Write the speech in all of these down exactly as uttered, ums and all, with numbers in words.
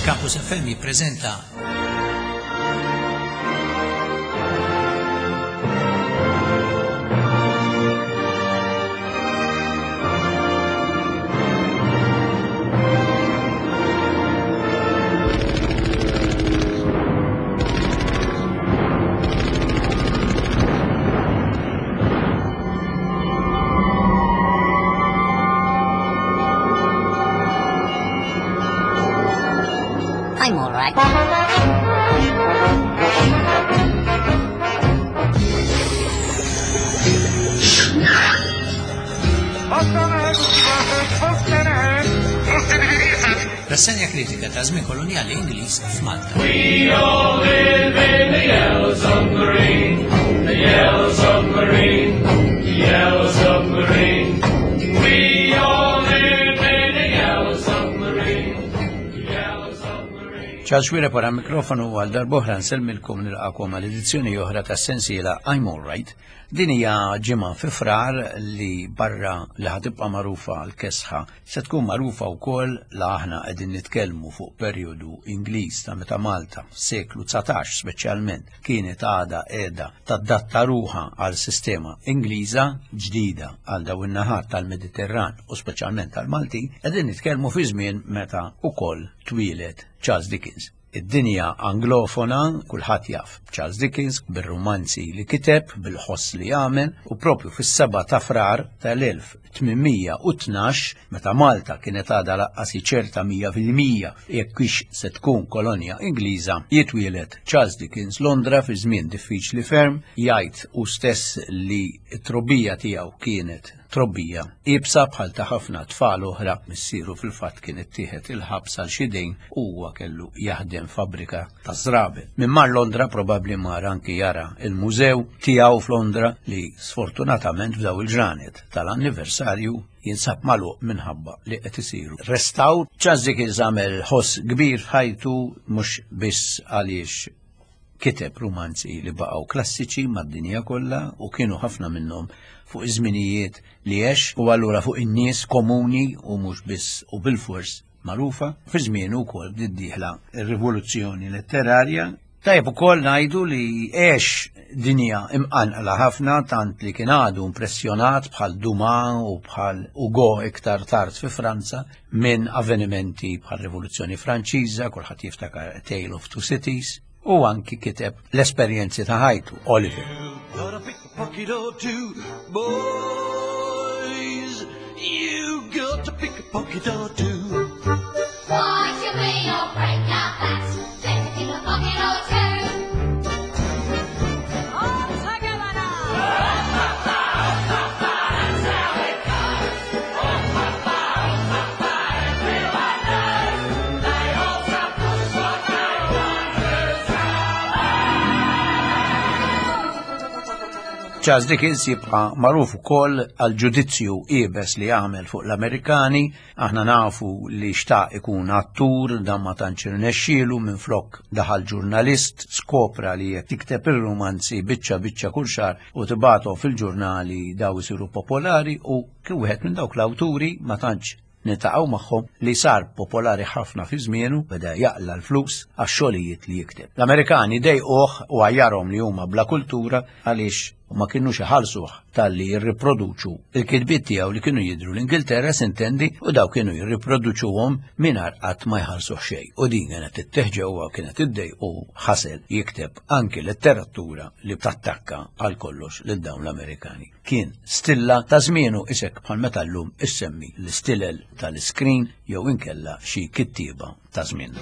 Campus F M jippreżenta I'm all right. Rassenja kritika ta' żmien kolonjali Ingliż f'Malta. We all live in the yellow submarine, the yellow submarine, the yellow submarine. We all live in the yellow submarine, the yellow submarine. Charles Xuereb wara mikrofonu għal darb'oħra nsellmilkom nilqakom għal edizzjoni oħra tas-sensiela I'm All Right. Din hija ġimgħa fi Frar li barra li ħatibqa' magħrufa għal kesħa se tkun magħrufa wkoll la aħna qegħdin nitkellmu fuq perjodu Ingliż ta' meta Malta f'seklu dsatax speċjalment kienet għadha qiegħda tadatta ruħha għal sistema Ingliża ġdida għal dawn in-naħat tal-Mediterran u speċjalment tal-Malti, qegħdin nitkellmu fi żmien meta wkoll twieled Charles Dickens. Id-dinja anglofona, kulħadd jaf Charles Dickens bir-romanzi li kiteb, bil-ħoss li għamel, u propju fis-seba' ta' Frar tal-elf tmien mija u tnax, meta Malta kienet għadha laqqas ċerta mija fil-mija jekk hix se tkun kolonja Ingliża, jitwieled Charles Dickens Londra fi żmien diffiċli ferm, jgħid hu stess li t-trobbija tiegħu kienet trobbija iebsa bħal ta' ħafna tfal oħra. Missieru fil-fatt kien ittieħed il-ħabs għal xi dejn u huwa kellu jaħdem fabbrika ta' żraben. Min mar Londra probabbli mar anki jara il-mużew tiegħu f'Londra li sfortunatament f'daw il-ġranet tal-anniversarju jinsab magħluq minħabba li qed isiru restawr. Charles Dickens għamel ħoss kbir f'ħajtu mhux biss għaliex kiteb romanzi li baqgħu klassiċi mad-dinja kollha u kienu ħafna minnhom fuq iż-żminijiet li għex u allura fuq in-nies komuni u mhux biss u bil-fors magħrufa. Fi żmienu wkoll bdiet dieħla r-rivoluzzjoni letterarja. Tajjeb ukoll ngħidu li għex dinja imqanqla ħafna tant li kien għadu impressjonat bħal Dumas u bħal Hugo iktar tard fi Franza minn avvenimenti bħal Rivoluzzjoni Franċiża, kulħadd jiftakar A Tale of Two Cities, u anki kiteb l-esperjenzi ta' ħajtu, Oliver. You gotta pick a pocket or two, boys. You got to pick a pocket or two. Why should we all break our backs? Better pick a pocket or two. All together now! Charles Dickens jibqa' magħruf ukoll għal ġudizzju iebes li għamel fuq l-Amerikani. Aħna nafu li xtaq ikun attur, dan ma tantx irnexxielu, minflok daħal ġurnalist, skopra li jekk tikteb ir-romanzi biċċa biċċa kull xahar u tibgħathom fil-ġurnali daw isiru popolari, u kien wieħed minn dawk l-awturi ma tantx niltaqgħu magħhom li sar popolari ħafna fi żmienu, beda jaqla l-flus għax-xogħlijiet li jikteb. L-Amerikani dejquh u għajjarhom li huma bla kultura għaliex ma kinux iħallsuh talli jirriproduċu il-kitbiet tiegħu li kienu jidhru l-Ingilterra sintendi, u daw kienu jirriproduċuhom mingħajr qatt ma jħallsuh xejn. U din kienet ittieħ ġewwa kienet iddejqu u ħasel jikteb anki letteratura li tattakka għal kollox lil dawn l-Amerikani. Kien stilla ta' żmienu isek bħal meta llum issemmi l-istilel tal-iskrin jew inkella xi kittieba ta' żmien.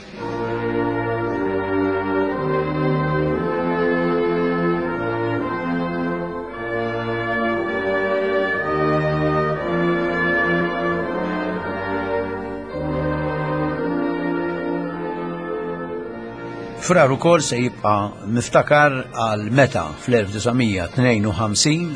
Frar ukoll se jibqa' miftakar għal meta fl-elf disa' mija tnejn u ħamsin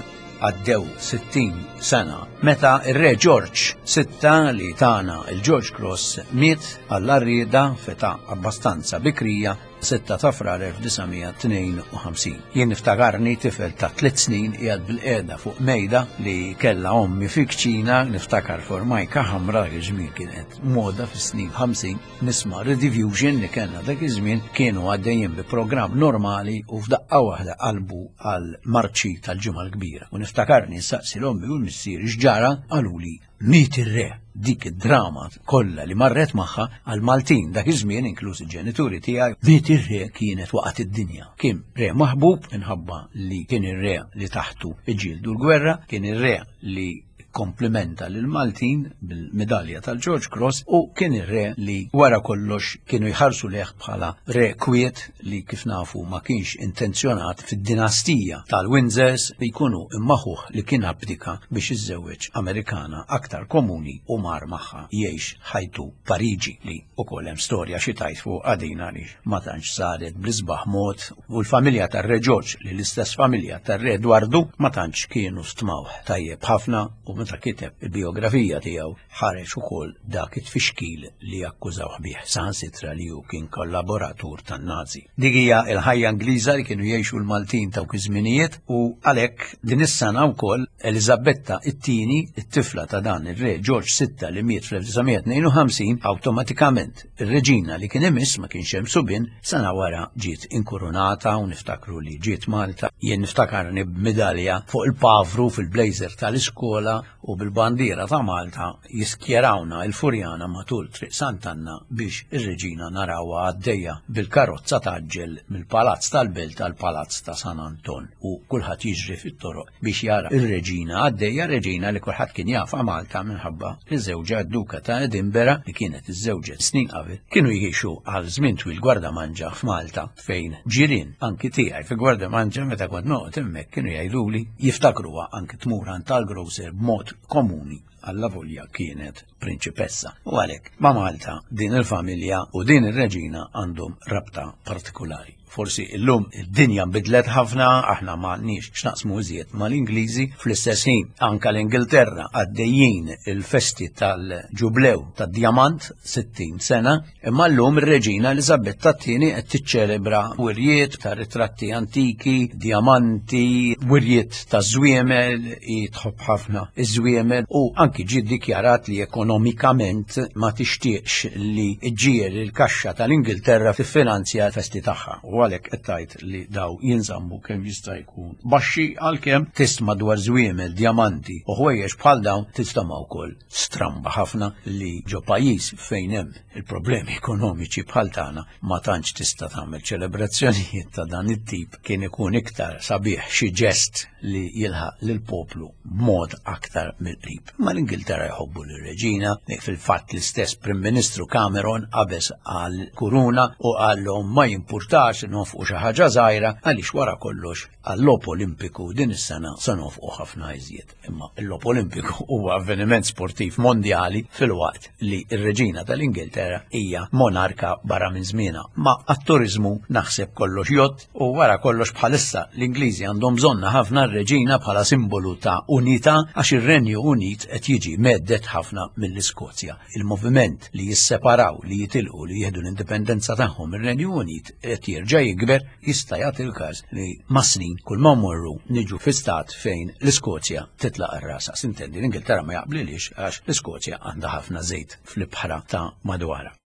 għaddew sittin sena meta ir-Re George sitta li tana il-George Cross miet għall-arrieda f'età abbastanza bikrija sitta ta' Frar elf disa' mija tnejn u ħamsin. Jien niftakarni tifel ta' tliet snin qiegħed bil-qiegħda fuq mejda li kellha ommi fi kċina, niftakar formajka ħamra dak iż-żmien kienet moda fis-snin ħamsin, nisma' Rediffusion li kellna dak iż-żmien kienu għaddejjin bi programm normali u f'daqqa waħda qalbu għal marċi tal-Ġimgħa l-Kbira. U niftakarni nsaqsi l-ommi u l-missier x'ġara, qaluli miet ir-re. Dik id-drama kollha li marret magħha għal Maltin dak iż-żmien, inkluż il-ġenituri tiegħi, miet ir-re kienet waqgħet id-dinja. Kien re maħbub minħabba li kien ir-re li taħtu iġġieldu l-gwerra, kien ir-re li komplimenta lil Maltin bil-medalja tal-George Cross u kien ir-re li wara kollox kienu jħarsu leh bħala re kwiet li kif nafu ma kienx intenzjonat fid-dinastija tal-Windsors li jkunu immaħuh li kien abdika biex iżżewweġ Amerikana aktar komuni u mar magħha jgħix ħajtu Pariġi, li ukoll hemm storja xi tgħid fuq għadina li ma tantx saret bl-isbaħ mod, u l-familja tar-Re George li l-istess familja tar-Re Edwardu ma tantx kienu stmawh tajjeb ħafna, u meta kiteb il-biografija tiegħu ħareġ ukoll dak it-tfixkil li akkużawh bih, saħansitra li hu kien kollaboratur tan-Nazi. Dik hija l-ħajja Ingliża li kienu jgħixu l-Maltin ta' dawk iż-żminijiet, u għalhekk din is-sena wkoll Eliżabetta it-tieni, it-tifla ta' dan ir-Re George sitta li miet fl-elf disa' mija tnejn u ħamsin, awtomatikament ir-reġina li kien imiss ma kienx hemm subien, sena wara ġiet inkurunata u niftakru li ġiet Malta. Jien niftakarni b'medalja fuq il-pavru fil-blazer tal-iskola u bil-bandiera ta' Malta jiskjerawna il-Furjana matul Triq Sant'Anna biex ir-reġina narawha għaddejja bil-karozza taġġel mill-Palazz tal-Belt għall-Palazz ta' San Anton, u kulħadd jiġri fit-toroq biex jara ir-reġina għaddejja, reġina li kulħadd kien jafha Malta minħabba li żewġha d-Duka ta' Edinburgh li kienet iżżewġet snin qabel kienu jgħixu għal żmien twil Gwardamanġa f'Malta, fejn ġirien anki tiegħi fi Gwardamanġa meta kont noqgħod hemmhekk kienu jgħiduli jiftakruha anki tmur għand tal-grocer b'mod komuni alla volja kienet prinċipessa. U għalhekk ma' Malta din il-familja u din ir-reġina għandhom rabta partikolari. Forsi illum id-dinja nbidlet ħafna, aħna m'għandniex x'naqsmu iżjed mal-Ingliżi, fl-istess ħin anka l-Ingilterra għaddejjin il-festi tal-ġublew tad-djamant sittin sena, imma llum ir-reġina Eliżabetta t-tieni qed tiċċelebra wirjiet ta' ritratti antiki, djamanti, wirjiet ta' żwiemel, hi tħobb ħafna iż-żwiemel, u anki ġie ddikjarat li ekonomikament ma tixtieqx li ġġiel il-kaxxa tal-Ingilterra tiffinanzja l-festi tagħha. U għalhekk qed tgħid li daw jinżammu kemm jista' jkun baxxi, għalkemm tisma' dwar żwiemel, djamanti u ħwejjeġ bħal dawn tistama' wkoll stramba ħafna li ġo pajjiż fejn hemm il-problemi ekonomiċi bħal tagħna ma tantx tista' tagħmel ċelebrazzjonijiet ta' dan it-tip. Kien ikun iktar sabiħ xi ġest li jilħaq lill-poplu b'mod aktar mill-qrib. Ma l-Ingilterra jħobbu lir-reġina, fil-fatt l-istess Prim Ministru Cameron qabeż għal kuruna u qallhom ma jimpurtax nofqu xi ħaġa żgħira għaliex wara kollox għall-logħob Olimpiku din is-sena se nofqu ħafna iżjed. Imma l-logħob Olimpiku huwa avveniment sportiv mondjali filwaqt li r-reġina tal-Ingilterra hija monarka barra minn żmienha. Ma għat-turiżmu naħseb kollox jgħodd, u wara kollox bħalissa l-Ingliżi għandhom bżonna ħafna r-reġina bħala simbolu ta' unità għax ir-Renju Unit qed jiġi meddet ħafna mill-Iskozja. Il-moviment li jisseparaw, li jitilqu, li jieħdu l-indipendenza tagħhom mir-Renju Unit qed jerġa' jikber, jista' jagħti l-każ li ma' snin kull ma mmorru niġu fi stat fejn l-Iskozja titlaq ir-rasa. Sintendi l-Ingilterra ma jaqblilix għax l-Iskozja għandha ħafna żejt fl-ibħra ta' madwarha.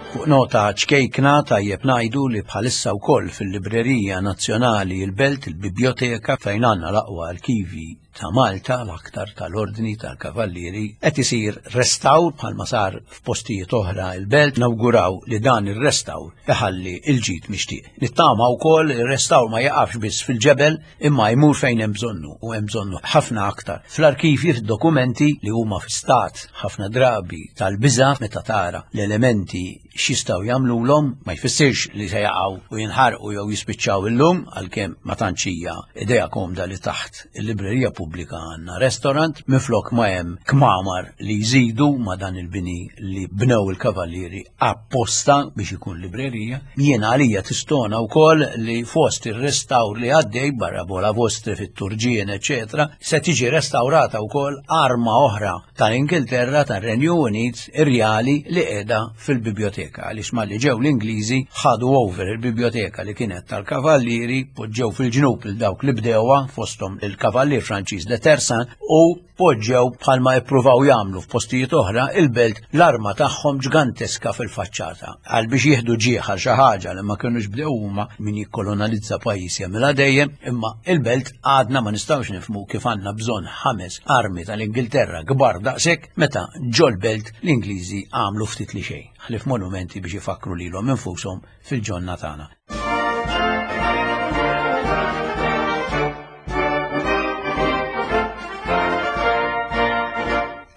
Fuq nota ċkejkna tajjeb ngħidu li bħalissa wkoll fil-Librerija Nazzjonali il-Belt, il-Biblioteka fejn għandna l-aqwa arkivi ta' Malta, l-aktar tal-Ordni tal-Kavallieri, qed isir restawr bħalma sar f'postijiet oħra il-Belt. Nawguraw li dan ir-restawr iħalli l-ġid mixtieq. Nittama wkoll ir-restawr ma jaqafx biss fil-ġebel imma jmur fejn hemm bżonnu, u hemm bżonnu ħafna aktar fl-arkivji, fid-dokumenti li huma fi stat ħafna drabi tal-biża' meta tara l-elementi x'jistgħu jagħmlulhom. Ma jfissirx li se jaqgħu u jinħarqu jew jispiċċaw illum, għalkemm ma tantx hija idea komda li taħt il-librerija pubblika Repubblika għandna restaurant, minflok ma hemm kmamar li jżidu ma dan il-bini li bnew il-kavallieri apposta biex ikun librerija. Jiena għalija tistona wkoll li fost ir-restawr li għaddej barra bola vostri fit-Turġien, eċetera, se tiġi restawrata wkoll arma oħra tal-Ingilterra, tar-Renju Unit, irjali li qiegħda fil-biblioteka, għaliex malli ġew l-Ingliżi ħadu over il-biblioteka li kienet tal-kavallieri, poġġew fil-ġnub il dawk li bdewha, fosthom il-kavallier Franċiż de Tersan, u poġġew bħalma ippruvaw jagħmlu f'postijiet oħra il-belt l-arma tagħhom ġganteska fil-faċċata. Għal biex jieħdu ġieħ għal xi ħaġa li ma kinux bdew huma, min jikkolonalizza pajjiż jagħmilha dejjem, imma il-belt għadna ma nistgħux nifhmu kif għandna bżonn ħames armi tal-Ingilterra kbar daqshekk meta ġol-belt l-Ingliżi għamlu ftit li xejn, ħlief monumenti biex ifakru lilhom infushom fil-ġonna tagħna.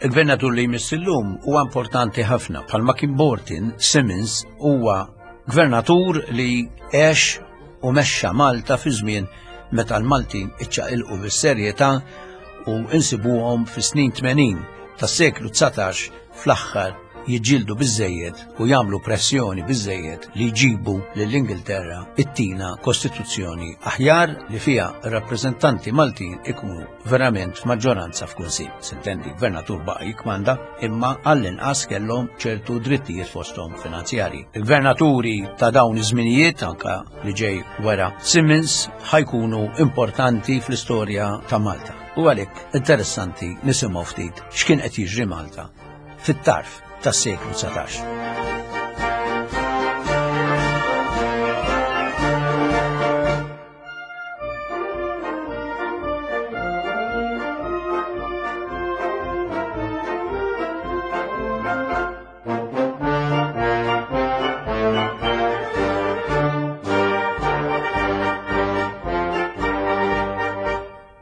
Il-gvernatur li jmiss illum huwa importanti ħafna, bħalma kien Bortin, Simmons huwa gvernatur li għex u mexxa Malta fi żmien meta l-Maltin iċċaqilqu bis-serjetà u insibuhom fis-snin tmenin tas-seklu dsatax fl-aħħar jiġġieldu biżżejjed u jagħmlu pressjoni biżżejjed li jġibu lill-Ingilterra it-tina kostituzzjoni aħjar li fiha r-rappreżentanti Maltin ikunu verament f'maġġoranza f'kunsill. Sintendi, gvernatur baqa' jikmanda, imma għall-inqas kellhom ċertu drittijiet fosthom finanzjarji. Il-gvernaturi ta' dawn iż-żminijiet, anka li ġej wara Simmons, ħajkunu importanti fl-istorja ta' Malta. U għalhekk interessanti nisimgħu ftit x'kien qed jiġri Malta fit-tarf tas-seklu dsatax.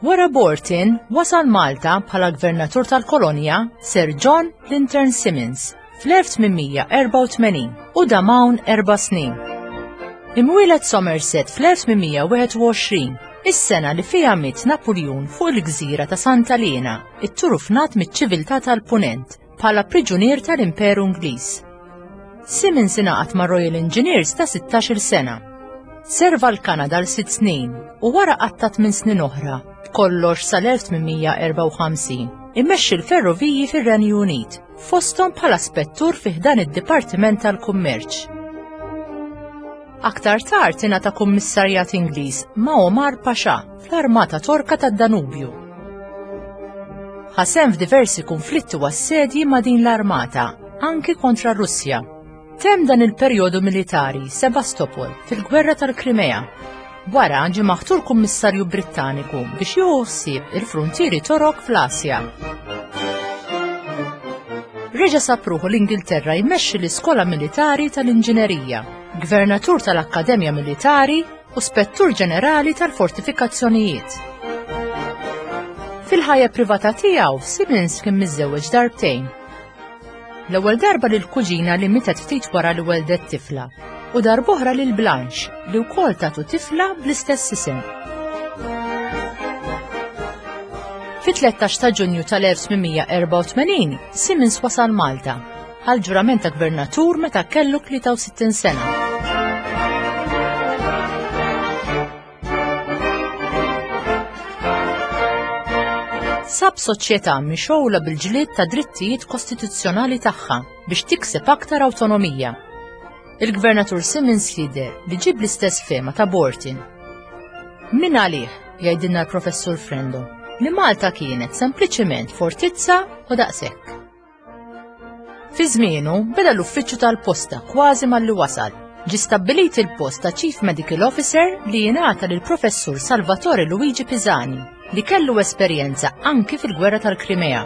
Wara Bortin wasal Malta bħala gvernatur tal-kolonja Sir John Lintern Simmons fl-elf tmien erba' tmenin u dam hawn erba' snin. Imwieled Somerset fl-elf tmien wieħed u għoxrin, is-sena li fiha miet Napoleon fuq il-gżira ta' Santa Elena, itturufnat miċ-ċiviltà tal-Punent bħala priġunier tal-Imperu Ingliż. Simmons ingħaqad ma' Royal Engineers ta' sittax-il sena. Serva l-Kanada għal sitt snin u wara qatta' tmien snin oħra, b'kollox sal-elf tmien erba' u ħamsin, immexxi l-ferroviji fir-Renju Unit, fosthom bħala spettur fi ħdan id-Dipartiment tal-Kummerċ. Aktar tard ingħata kummissarjat Ingliż ma' Omar Pasha fl-Armata Torka tad-Danubju. Ħasem f'diversi konflitti u assedji ma' din l-armata, anki kontra r-Russja. Temm dan il-perjodu militari Sebastopol fil-Gwerra tal-Krimea. Wara ġie maħtur kummissarju Brittaniku biex jieħu ħsieb il-fruntieri Torok fl-Asja. Reġa' sab ruħu l-Ingilterra jmexxi l-Iskola Militari tal-Inġinerija, Gvernatur tal-Akkademja Militari u Spettur Ġenerali tal-Fortifikazzjonijiet. Fil-ħajja privata tiegħu, Simmons kien miżżewweġ darbtejn. L-ewwel darba lil kuġina li mietet ftit wara li weldet tifla, u darb'oħra lil Blanche li wkoll tatu tifla bl-istess isem. Fit-tlettax ta' Ġunju tal-elf tmien erba' tmenin, Simmons wasal Malta għal ġurament ta' gvernatur meta kellu tlieta u sittin sena. Sab soċjetà mixgħula bil-ġlied ta' drittijiet kostituzzjonali tagħha biex tikseb aktar awtonomija. Il-Gvernatur Simmons jidher li ġib l-istess fehma ta' Bortin. Min għalih, jgħidilna l-Professur Frendo, li Malta kienet sempliċiment fortizza u daqshekk. Fi żmienu beda l-uffiċċju tal-posta kważi malli wasal. Ġie stabbilit il-post ta' Chief Medical Officer li jingħata lill-Professur Salvatore Luigi Pisani, li kellu esperjenza anki fil-Gwerra tal-Krimea.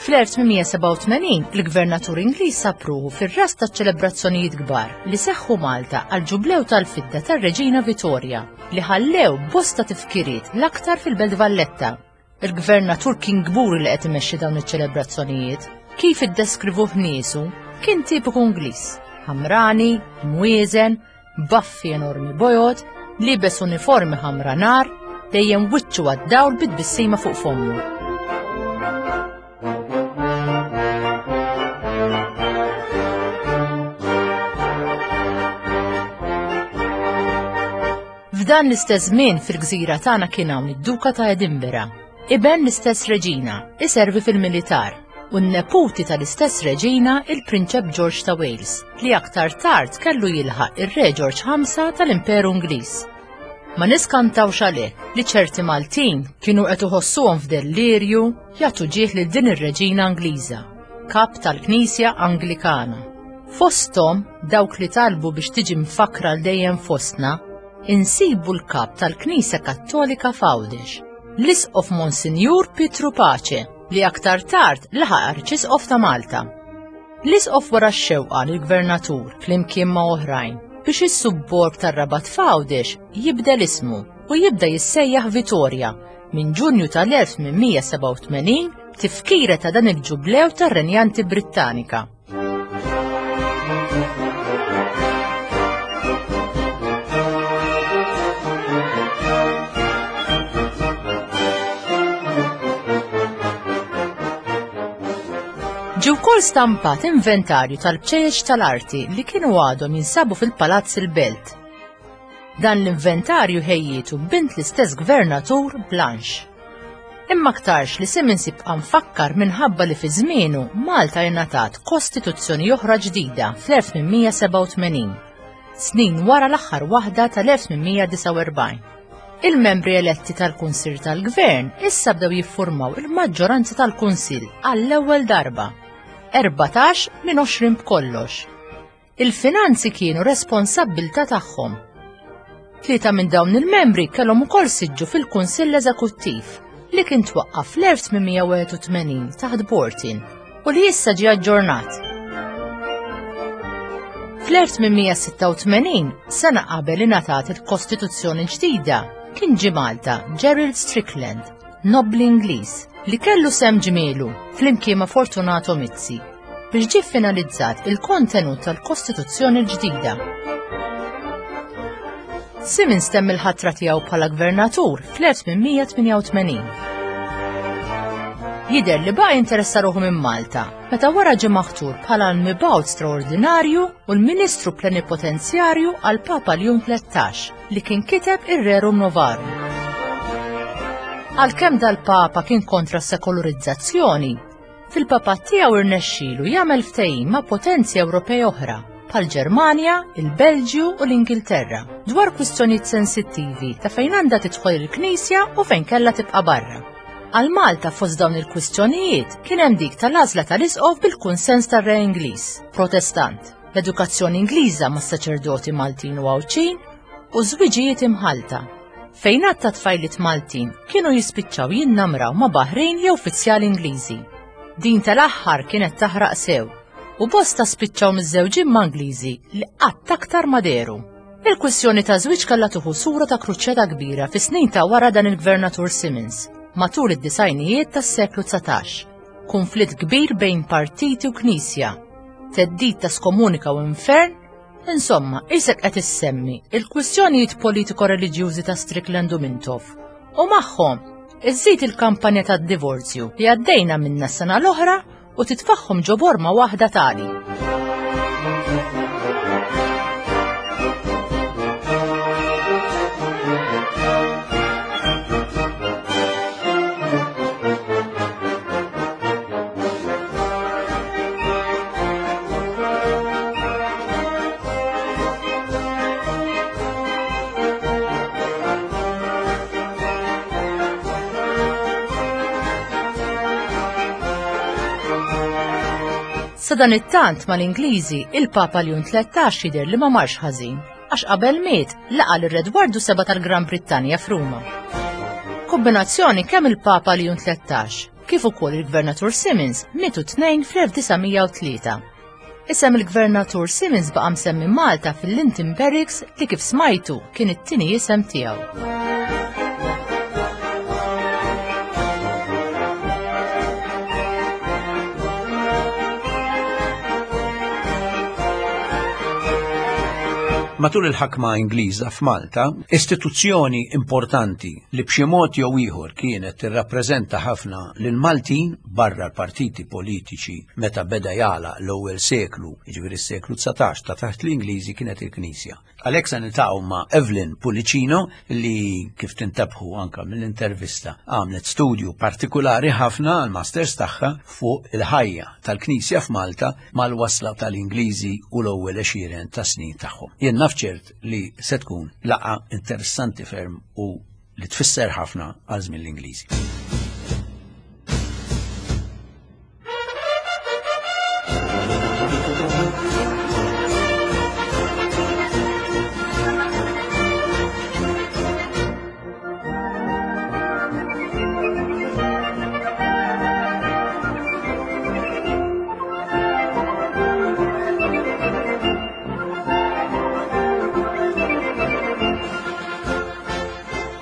Fl-elf tmien sebgħa u tmenin, il-Gvernatur Ingliż sab ruħu fir-ras taċ-ċelebrazzjonijiet kbar li seħħu Malta għal ġublew tal-fidda tar-Reġina Vittoria, li ħallew bosta tifkiriet l-aktar fil-Belt Valletta. Il-Gvernatur kien kburi li qed imexxi dawn iċ-ċelebrazzjonijiet. Kif iddeskrivuh niesu, kien tipiku Ingliż, ħamrani, mwieżen, baffi enormi bojod, libes uniformi ħamra nar, dejjem wiċċu għad-dawl bi tbissima fuq fommu. F'dan l-istess żmien fil-gżira tagħna kien hawn id-Duka ta' Edinburgh, iben l-istess reġina, iservi fil-militar, u n-neputi tal-istess reġina il-Prinċep George ta' Wales, li aktar tard kellu jilħaq ir-Re George ħamsa tal-Imperu Ingliż. Ma niskantawx għalhekk li ċerti Maltin kienu qed iħossuhom f'dellirju jagħtu ġieħ lil din ir-reġina Ingliża, kap tal-Knisja Anglikana. Fosthom dawk li talbu biex tiġi mfakra l dejjem fostna, insibu l-kap tal-Knisja Kattolika f'Għawdex, l-Isqof Monsinjur Pietru Pace, li aktar tard laħaq Arċisqof ta' Malta. L-Isqof wara x-xewqa lill-Gvernatur flimkien ma' oħrajn biex is-subborg tar-Rabat f'Għawdex jibdel ismu u jibda jissejjaħ Vitorja minn Ġunju tal-elf tmien mija sebgħa u tmenin tifkira ta' dan il-ġublew tar-Renjanti Brittanika. Ġie wkoll stampat inventarju tal-bċejjeċ tal-arti li kienu għadhom jinsabu fil-Palazz il-Belt. Dan l-inventarju ħejjietu bint l-istess gvernatur Blanche. Imma aktarx li Simmons jibqa' mfakkar minħabba li fi żmienu Malta ingħatat kostituzzjoni oħra ġdida fl-elf tmien mija sebgħa u tmenin, snin wara l-aħħar waħda tal-elf tmien mija disgħa u erbgħin. Il-membri eletti tal-Kunsill tal-Gvern issa bdew jiffurmaw il-maġġoranza tal-Kunsill għall-ewwel darba. Erbatax minn għoxrin b'kollox. Il-finanzi kienu responsabbiltà tagħhom. Tlieta minn dawn il-membri kellhom ukoll siġġu fil-Kunsill Eżekuttiv li kien twaqqaf fl-elf tmien mija wieħed u tmenin taħt Bortin u li issa ġie aġġornat. Fl-elf tmien mija sitta u tmenin, sena qabel ingħatat il-Kostituzzjoni ġdida, kien ġie Malta Gerald Strickland, nobli Ingliż, li kellu sehem ġmielu flimkien ma' Fortunato Mizzi biex ġie finalizzat il-kontenut tal-Kostituzzjoni l-ġdida. Simmons temm il-ħatra tiegħu bħala gvernatur fl-elf tmien mija tmienja u tmenin. Jidher li baqa' jinteressa ruħu minn Malta meta wara ġie maħtur bħala l-mibgħut straordinarju u l-Ministru Plenipotenzjarju għal Papa Ljun tlettax li kien kiteb ir-Rerum Novarum. Għalkemm dal-Papa kien kontra s-sekolarizzazzjoni, fil-papat tiegħu irnexxielu jagħmel ftehim ma' potenzi Ewropej oħra bħal Ġermanja, il-Belġju u l-Ingilterra dwar kwistjonijiet sensittivi ta' fejn għandha tidħol il-Knisja u fejn kellha tibqa' barra. Għal Malta fost dawn il-kwistjonijiet kien hemm dik tal-għażla tal-isqof bil-kunsens tar-Re Ingliż, Protestant, l-edukazzjoni Ingliża mas-saċerdoti Maltin u Għawdxin u żwiġijiet imħalta, fejn għadd ta' tfajliet Maltin kienu jispiċċaw jinnamraw ma' Baħrin jew uffiċjali Ingliżi. Din tal-aħħar kienet taħraq sew u bosta spiċċaw miżżewġin ma' Ingliżi li qatt aktar ma dehru. Il-kwistjoni ta' żwieġ kellha tieħu sura ta' kruċjata kbira fis-snin ta' wara dan il-Gvernatur Simmons, matul id-disajnijiet tas-seklu dsatax. Konflitt kbir bejn partiti u knisja, theddid ta' skomunika u infern, insomma, isek qed issemmi il-kwistjonijiet politiko-reliġjużi ta' Strickland u Mintoff u magħhom iżżid il-kampanja tad-divorzju li għaddejna minna s-sena l-oħra u titfagħhom ġo borma waħda tali. Sadanittant mal-Ingliżi, il-Papa Ljun tlettax jidher li ma marx ħażin, għax qabel miet laqa' lir Edwardu seba' tal-Gran Brittanja f'Ruma. Kombinazzjoni kemm il-Papa Ljun tlettax kif ukoll il-Gvernatur Simmons mietu tnejn fl-elf disa' mija u tlieta. Isem il-Gvernatur Simmons baqa' msemmi Malta fil-Linton Barracks li kif smajtu kien it-tieni isem tiegħu. Matul il-ħakma Ingliża f'Malta, istituzzjoni importanti li b'xi mod jew ieħor kienet tirrappreżenta ħafna lil Maltin barra l-partiti politiċi meta beda jagħlaq l-ewwel seklu, jiġifieri s-seklu dsatax ta' taħt l-Ingliżi, kienet il-Knisja. Għalhekk se niltaqgħu ma' Evelyn Pullicino li, kif tintebħu anka mill-intervista, għamlet studju partikulari ħafna għal masters tagħha fuq il-ħajja tal-Knisja f'Malta mal-wasla tal-Ingliżi u l-ewwel għexieren ta' snin tagħhom. Jien naf ċert li se tkun laqgħa interessanti ferm u li tfisser ħafna għal żmien l-Ingliżi.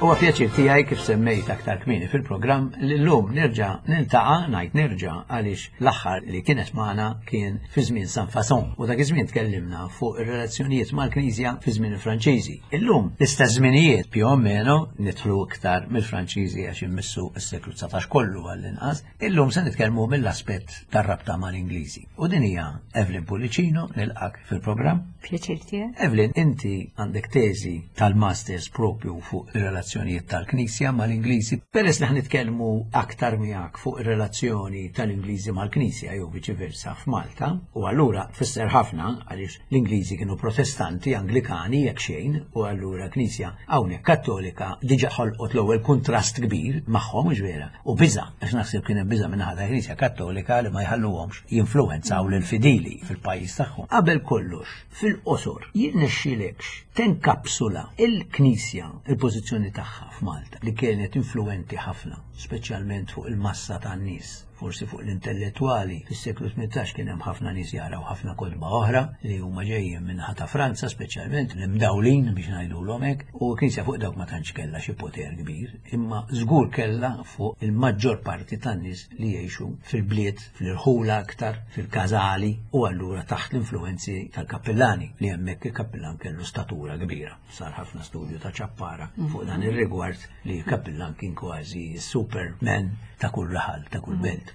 Huwa pjaċir tiegħi, kif semmejt aktar kmieni fil-programm, li llum nerġa' niltaqa', ngħid nerġa' għaliex l-aħħar li kienet magħna kien fi żmien San Fason u dak iż-żmien tkellimna fuq ir-relazzjonijiet mal-Knisja fi żmien il-Franċiżi. Illum l-istess żminijiet più o meno, nidħlu iktar mill-Franċiżi għax immissu s-seklu dsatax kollu għall-inqas, illum se nitkellmu mill-aspett tar-rabta mal-Ingliżi. U din hija Evelyn Pullicino, nilqak fil-programm. Pjaċir tiegħek. Evelyn, inti għandek teżi tal-masters propju fuq ir-relazzjonijiet tal-Knisja mal-Ingliżi. Peress li ħnitkellmu aktar miegħek fuq ir-relazzjoni tal-Ingliżi mal-Knisja jew viċi versa f'Malta, u allura tfisser ħafna għaliex l-Ingliżi kienu Protestanti, Anglikani jekk xejn, u allura Knisja hawnhekk Kattolika diġà ħolqot l-ewwel kuntrast kbir magħhom, mhux vera? U biża', għax naħseb kien hemm biża' minn ħadd Knisja Kattolika li ma jħalluhomx jinfluwenzaw lill-fidili fil-pajjiż tagħhom. Qabel kollox, fil-qosor, jirnexxilekx tenkapsula il-Knisja, il-pożizzjoni tagħha f'Malta, li kienet influenti ħafna, speċjalment fuq il-massa tan-nies, forsi fuq l-intellettwali. Fis-seklu tmintax kien hemm ħafna nies jaraw ħafna kotba oħra li huma ġejjin minn ta' Franza, speċjalment l-imdawlin biex ngħidulhom hekk, u l-Knisja fuq dawk ma tantx kellha xi poter kbir, imma żgur kellha fuq il-maġġor parti tan-nies li jgħixu fil-bliet, fl-irħula aktar, fil-każali, u allura taħt l-influenzi tal-kappellani, li hemmhekk il-kappellan kellu statura kbira. Sar ħafna studju ta' Ċappara fuq dan ir-rigward li l-kappellan kien kważi superman ta' kull raħal, ta' kull belt.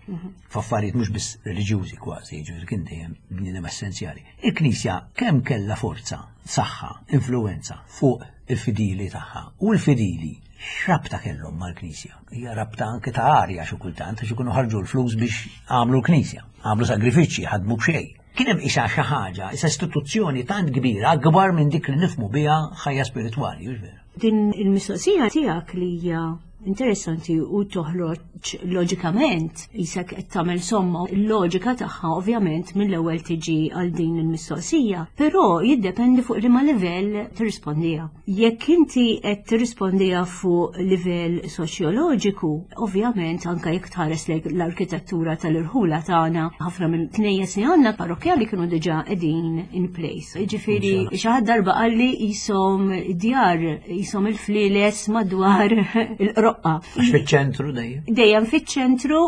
F'affarijiet mhux biss reliġjużi kważi, jiġifieri kien dejjem bniedem essenzjali. Il-Knisja kemm kellha forza, saħħa, influenza fuq il-fidili tagħha, u l-fidili x'rabta kellhom mal-Knisja? Hija rabta anke ta' arja xi kultant, għax ikunu ħarġu l-flus biex għamlu l-Knisja, għamlu sagrifiċċji, ħadmu b'xejn. Kien hemm isa xi ħaġa, isa istituzzjoni tant kbira, akbar minn dik li nifhmu biha ħajja spiritwali, hux vera? Din il-mistoqsija tiegħek li hija interessanti u toħroġ loġikament, jisek qed tagħmel somma, il-loġika tagħha ovvjament mill-ewwel tiġi għal din il-mistoqsija, però jiddependi fuq liema livell tirrispondiha. Jekk inti qed tirrispondiha fuq livell soċjoloġiku, ovvjament anke jekk tħares lejn l-arkitettura tal-irħula tagħna, ħafna mill-knejjes li għandna parrokkjali kienu diġà qegħdin in place. Jiġifieri xi ħadd darba qalli qishom djar, qishom il-flieles madwar il-qroqqa. Għax fiċ-ċentru dejjem. Dejjem fiċ-ċentru,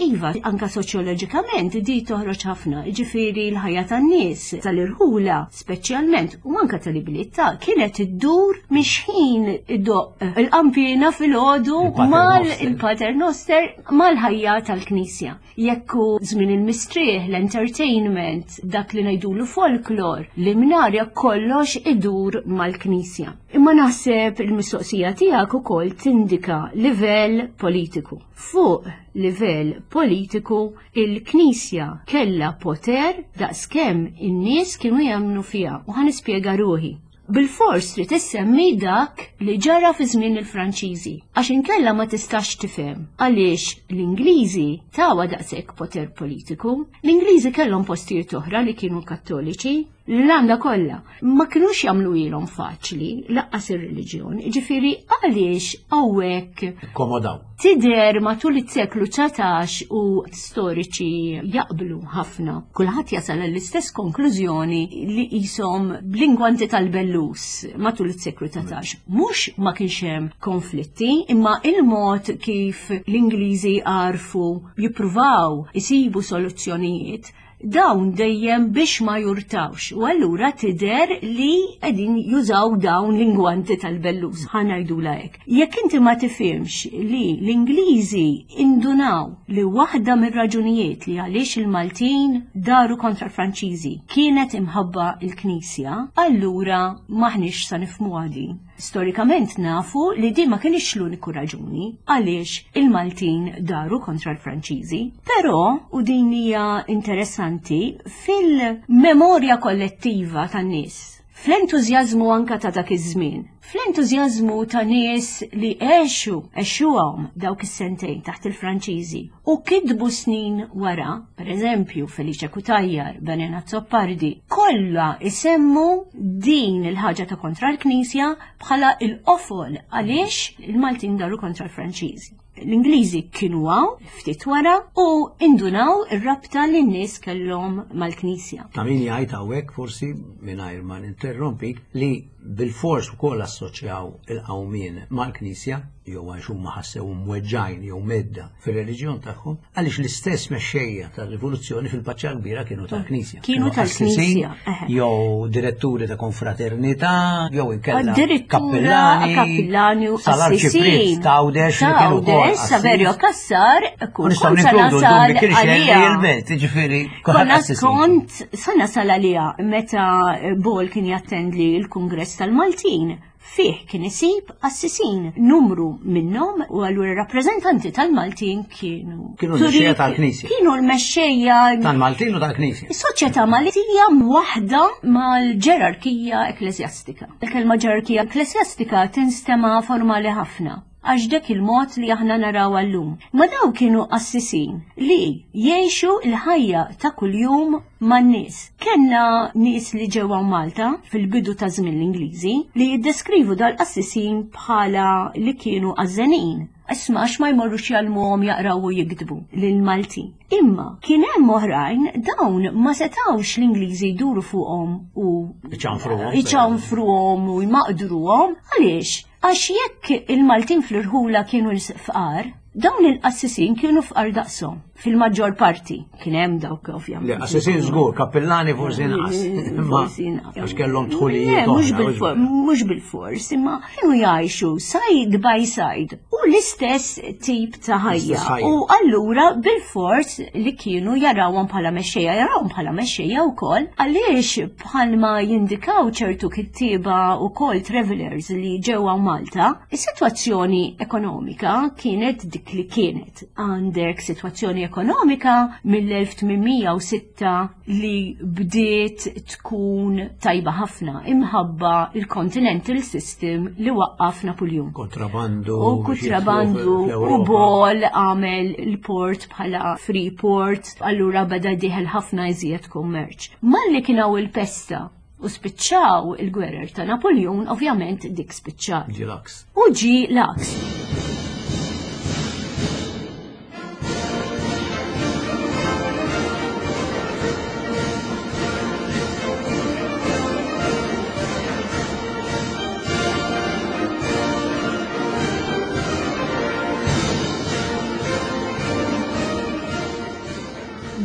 iva, anka soċjoloġikament di toħroġ ħafna. Ġifieri l-ħajja tan-nies tal-irħula speċjalment u anka tal-ibliet ta' kienet iddur mhix ħin iddoq il-qampina filgħodu mal il-Pater Noster mal-ħajja tal-Knisja. Jekk hu żmien il-mistrieħ, l-entertainment, dak li ngħidulu folklor, l-imnarja, kollox idur mal-Knisja. Imma naħseb il-mistoqsija tiegħek ukoll tindika livell politiku. Fuq livell politiku, il-Knisja kellha poter daqskemm in-nies kienu jemmnu fiha, u ħa nispjega ruħi. Bil-fors trid issemmi dak li ġara fi żmien il-Franċiżi, għax inkella ma tistax tifhem għaliex l-Ingliżi tawa daqshekk poter politiku. L-Ingliżi kellhom postijiet oħra li kienu Kattoliċi, l-Irlanda kollha ma kinux jagħmlu ilhom faċli laqqas ir-reliġjon. Ġifieri għaliex hawnhekk Komodaw. Tidher matul is-seklu dsatax u storiċi jaqblu ħafna. Kulħadd jasal l-istess konklużjoni li qishom bl-ingwanti tal-bellus matul is-seklu dsatax. Mhux ma kienx hemm konflitti, imma il-mod kif l-Ingliżi għarfu jippruvaw isibu soluzzjonijiet Dawn dejjem biex ma jurtawx. U allura tidher li qegħdin jużaw dawn l-ingwanti tal-bellus. Ħa ngħidulha hekk. Jekk inti ma tifhimx li l-Ingliżi indunaw li waħda mir-raġunijiet li għaliex il-Maltin daru kontra l-Franċiżi kienet imħabba il-Knisja, allura maħniex sa nifhmu din. Storikament nafu li di ma kienx l-uniku raġuni għaliex il-Maltin daru kontra l-Franċiżi. Però, u din hija interessanti, fil-memorja kollettiva tan-nies, fl-entużjażmu anka ta' dak iż-żmien, fl-entużjażmu ta' nies li għexu, għexuhom dawk is-sentejn taħt il-Franċiżi u kitbu snin wara, per eżempju Felice Cutajar, Benon Azzopardi, kollha isemmu din il-ħaġa ta' kontra l-Knisja bħala il-qofol għaliex il-Maltin daru kontra l-Franċiżi. L-Ingliżi kienu hawn ftit wara u indunaw ir-rabta li n-nies kellhom mal-Knisja. Ta' min jgħid hawnhekk forsi mingħajr ma ninterrompik li bilfors ukoll assoċjaw il-qawmien mal-Knisja jew għax huma ħassew mweġġajn jew mhedda fir-reliġjon tagħhom, għaliex l-istess mexxejja tar-rivoluzzjoni fil-Paċċa Kbira kienu tal-Knisja. Kienu tal-Knisja, eħe. Jew diretturi ta' konfraternità, jew inkella Addirittura kappillani u sal-arċipriet ta' Għawdex li kienu wkoll Għawdex, Saverio Cassar, U nistgħu ninkludu l-Dun Mikiel Xerri il-Belt, jiġifieri kulħadd Konna qassisin. kont sa nasal għalija meta Ball kien jattendi l-Kungress tal-Maltin. Fih kien isib assisin numru minnhom u allura rappreżentanti tal-Maltin kienu. Kienu l-mexxejja tal-Knisja. Kienu l-mexxejja Tal-Maltin u tal-Knisja. Is-soċjetà Maltija waħda mal-ġerarkija ekklesjastika. Il-kelma ġerarkija ekklesjastika tinstema formali ħafna għax dak il-mod li aħna naraw għallum. Ma daw kienu qassisin li jgħixu l-ħajja ta' kuljum man-nies. Kenna nies li ġewwa Malta fil-bidu ta' żmien l-Ingliżi li jiddeskrivu dal-qassisin bħala li kienu għażżenin. Isma' għax ma jmorrux jgħallmuhom jaqraw u jiktbu lil-Maltin. Imma kien hemm oħrajn dawn ma setawx l-Ingliżi jduru fuqhom u Iċanfruhom. iċanfruhom u jmaqdruhom. Għaliex? Għax jekk il-Maltin fl-irħula kienu fqar, dawn il-qassisin kienu fqar daqshom fil-maġġor parti. Kien hemm dawk ovvjament. Le, qassisin żgur, kappillani forsi inqas. Imma Forsi inqas. Għax kellhom dħulijiet Le, mhux oħra, bil-for- mhux bil-fors, imma kienu jgħixu side by side u l-istess tip ta' ħajja. L-istess ħajja. U allura bil-fors li kienu jarawhom bħala mexxejja, jarawhom bħala mexxejja wkoll, għaliex bħalma jindikaw ċertu kittieba wkoll travelers li ġewwa Malta, is-sitwazzjoni ekonomika kienet dik li kienet. Għandek sitwazzjoni ekonomika mill-elf tmien mija u sitta li bdiet tkun tajba ħafna imħabba il-Continental System li waqqaf Napoleon. Kontrabandu. U kontrabandu u Ball għamel il-port bħala free port, allura beda dieħel ħafna iżjed kummerċ. Malli kien hawn il-pesta u spiċċaw il-gwerer ta' Napoleon, ovvjament dik spiċċaw. Ġie l-għaks. U ġie l-għaks.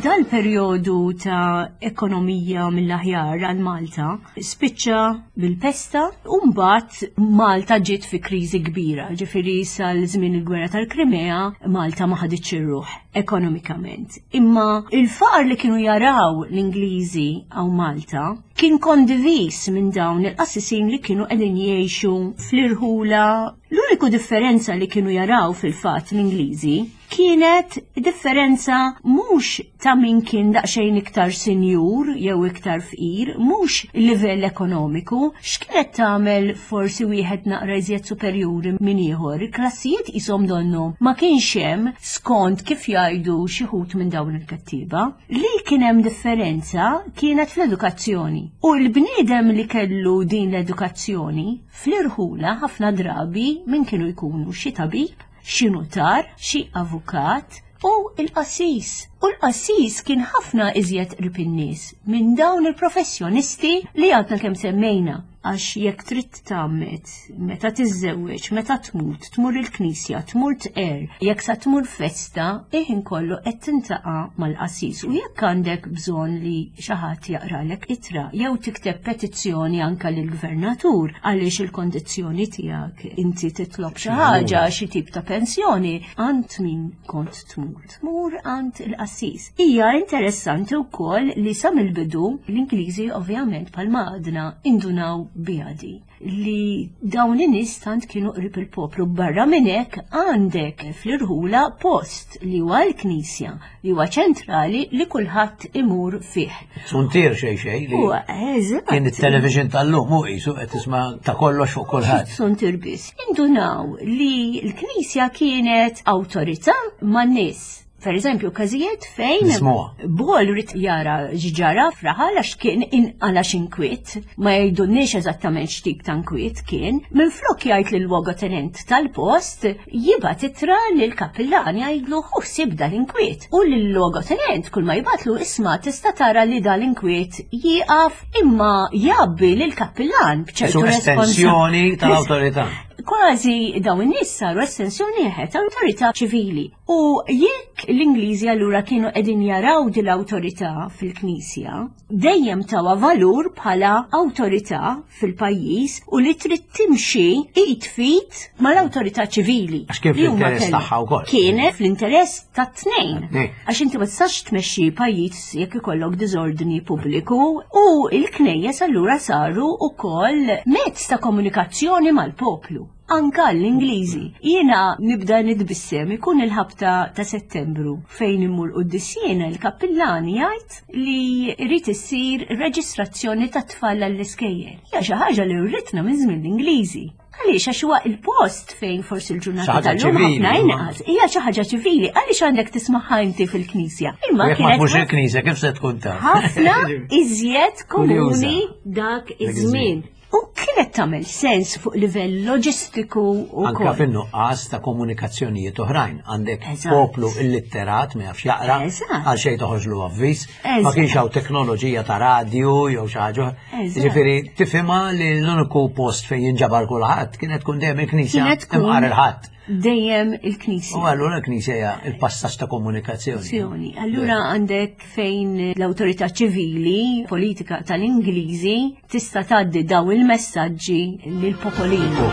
Dal-perjodu ta' ekonomija mill-aħjar għal Malta spiċċa bil-pesta u mbagħad Malta ġiet fi kriżi kbira, ġifieri sal-żmien il-gwerra tal-Krimea Malta ma ħaditx ir-ruħ ekonomikament. Imma il-faqar li kienu jaraw l-Ingliżi hawn Malta kien kondivis minn dawn il-qassisin li kienu qegħdin jgħixu fl-irħula. L-uniku differenza li kienu jaraw fil-fatt l-Ingliżi kienet differenza mhux ta' min kien daqsxejn iktar sinjur jew iktar fqir, mhux il-livell ekonomiku, x'kienet tagħmel forsi wieħed naqra iżjed superjuri minn ieħor. Il-klassijiet qishom donnu ma kienx hemm skont kif jgħidu xi wħud minn dawn il-kattiba. Li kien hemm differenza kienet fl-edukazzjoni. U l-bniedem li kellu din l-edukazzjoni fl-irħula ħafna drabi min kienu jkunu xi tabib, xi nutar, xi avukat u il-qassis. U U l-qassis kien ħafna iżjed qrib in-nies minn dawn il-professjonisti li għadna kemm semmejna. Għax jekk trid tgħammed, meta tiżżewweġ, meta tmut, tmur il-knisja, tmur tqer, jekk sa tmur festa, iħin kollu qed tintaqa' mal-qassis. U jekk għandek bżonn li xi ħadd jaqralek ittra jew tikteb petizzjoni anka lill-gvernatur għaliex il-kondizzjoni tiegħek inti titlob xi ħaġa, xi tip ta' pensjoni, għand min kont tmur. Tmur għand il-qassis. Hija interessanti wkoll li sa mill-bidu l-Ingliżi ovvjament bħalma għadna indunaw biha di li dawn in-nies tant kienu qrib il-poplu. Barra minn hekk għandek fl-irħula post li huwa l-knisja li huwa ċentrali li kulħadd imur fih. Suntier xejn xejn li Huwa eżatt. kien it-television tal-lum u qisu qed tisma' ta' kollox fuq kulħadd. Suntier biss. Indunaw li l-knisja kienet awtorità man-nies. Per eżempju, każijiet fejn Nismuha. Bol ried jara x'ġara f'raħal għax kien inqala x'inkwiet, ma jgħidulniex eżattament x'tip ta' inkwiet kien, minflok jgħid lil logotenent tal-post jibgħat ittra lil kappillan jgħidlu ħu ħsieb dal-inkwiet. U lil logotenent kull ma jibgħatlu isma' tista' tara li dal-inkwiet jieqaf imma jgħabbi lil kappillan b'ċertu Su estensjoni responsa- tal-awtorità. Kważi dawn in-nies saru estensjoni eħe tal-awtorità ċivili. U jekk l-Ingliżi allura kienu qegħdin jaraw din l-awtorità fil-Knisja, dejjem tawha valur bħala awtorità fil-pajjiż u li trid timxi id f'id mal-awtorità ċivili. Għax kien Li huma fl-interess kellhom. tagħha wkoll. Kienet fl-interess tat-tnejn. Tat-tnejn. Għax inti ma tistax tmexxi pajjiż jekk ikollok diżordni pubbliku u l-knejjes allura saru wkoll mezz ta' komunikazzjoni mal-poplu. Anka l-Ingliżi. Jiena nibda nitbissem ikun il-ħabta ta' Settembru fejn immur quddies jiena il-kappillan jgħid li jrid issir reġistrazzjoni ta' tfal għall-iskejjel. Hija xi ħaġa li writna minn żmien l-Ingliżi. Għaliex għax huwa il-post fejn forsi l-ġurnata Xi ħaġa tal-lum ċivili, ħafna imma. inqas. Hija xi ħaġa ċivili, għaliex għandek tismaħħa inti fil-knisja. Imma Jekk ma kienet tmurx il-knisja kif se tkun taf? ħafna iżjed komuni dak Dak iż-żmien. iż-żmien. U kienet tagħmel sens fuq livell loġistiku Anka wkoll. fin-nuqqas ta' komunikazzjonijiet oħrajn. Għandek Eżatt. poplu illitterat ma jafx jaqra, Eżatt. għal xejn toħroġlu avviż, ma Eżatt. kienx hawn teknoloġija ta' radju jew xi ħaġa. Eżatt. Ġifieri tifhimha li l-uniku post fejn jinġabar kulħadd kienet tkun dejjem il-knisja Kienet tkun imqar il-ħadd. Dejjem il-knisja. U allura l-knisja hija il-passaġġ ta' komunikazzjoni. Azzjoni. Allura għandek fejn l-awtorità ċivili, politika tal-Ingliżi, tista' tgħaddi daw il-messaġġi lill-popolinu.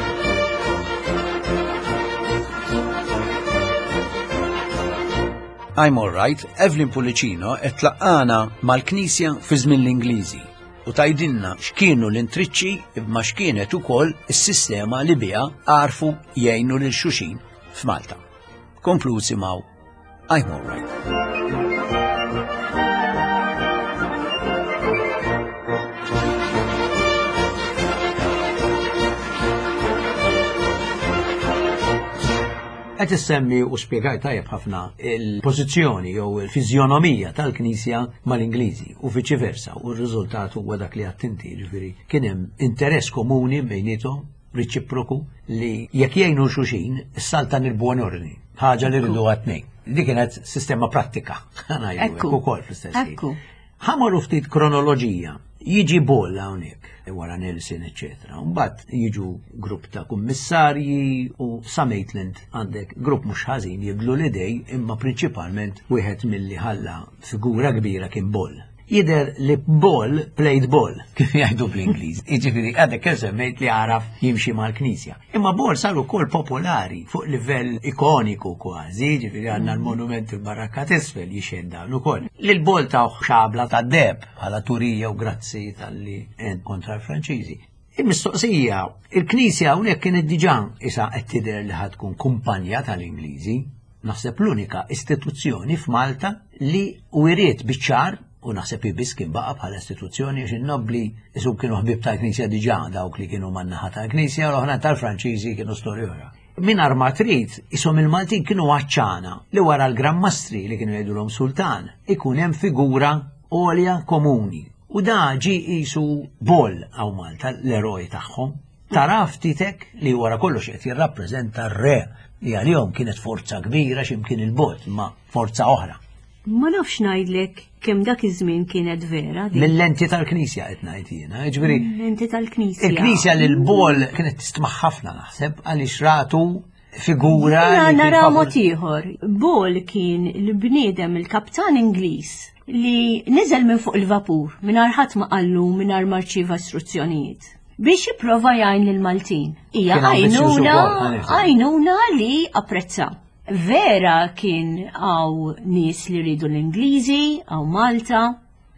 I'm alright, Evelyn Pullicino qed tlaqqana mal-Knisja fi żmien l-Ingliżi u tgħidilna x'kienu l-intriċċi imma x'kienet ukoll is-sistema li biha għarfu jgħinu lil xulxin f'Malta. Komplu isimgħu I'm alright. Qed issemmi u spjegaj tajjeb ħafna il-pożizzjoni jew il-fiżjonomija tal-Knisja mal-Ingliżi u viċi versa u r-riżultat huwa dak li għedt inti, ġifieri kien hemm interess komuni bejniethom reċiproku li jekk jgħinu xulxin is-saltan il-buon ordni, ħaġa li rridu għat-tnejn. Di kienet sistema prattika, ngħidu hekk Ekku. ukoll fl-istess ħin. Ekku. Ħa mmorru ftit kronoloġija. Jiġi Ball hawnhekk wara Nelson, eċetera. Mbagħad jiġu grupp ta' kummissarji u sa Maitland għandek grupp mhux ħażin jibdlu l-idej imma prinċipalment wieħed milli ħalla figura kbira kien Ball. Jidher li Ball played ball, kif jgħidu bl-Ingliż. Jiġifieri għadek kemm semmejt li għaraf jimxi mal-Knisja. Imma Ball sar ukoll popolari fuq livell ikoniku kważi, jiġifieri għandna l-monument il-Barrakka t'isfel jixhed dan ukoll. Lil Ball ta' xabla ta' deheb bħala turija u grazzi talli għen kontra l-Franċiżi. Il-mistoqsija, il-Knisja hawnhekk kienet diġà isa qed tidher li ħa tkun kumpanja tal-Ingliżi, naħseb l-unika istituzzjoni f'Malta li wiriet biċ-ċar u naħseb biss kien baqa bħala istituzzjoni għax in-nobli isu kienu ħbib tal-Knisja diġà dawk li kienu man-naħa tal-Knisja u l-oħra tal-Franċiżi kienu storja oħra. Mingħajr ma trid, isom il-Maltin kienu għatxana li wara l-Gran Mastri li kienu jgħidulhom sultan ikun hemm figura għolja komuni. U da ġi qisu Ball hawn Malta l-eroj tagħhom. Tara ftitek li wara kollox qed jirrappreżenta r-re li għalihom kienet forza kbira x'imkien il-bot, ma forza oħra. Ma nafx ngħidlek kemm dak iż-żmien kienet vera. Mill-lenti tal-Knisja qed ngħid jiena, jiġifieri. Lenti tal-Knisja. Il-Knisja lil Ball kienet tistma' ħafna naħseb għaliex ratu figura. Jiena nara mod ieħor. Ball kien il-bniedem il-kaptan Ingliż li niżel minn fuq il-vapur mingħajr ħadd ma qallu mingħajr ma rċieva istruzzjonijiet biex jipprova jgħin lill-Maltin. Hija għajnuna għajnuna li apprezzaw. Vera kien hawn nies li rridu l-Ingliżi, hawn Malta,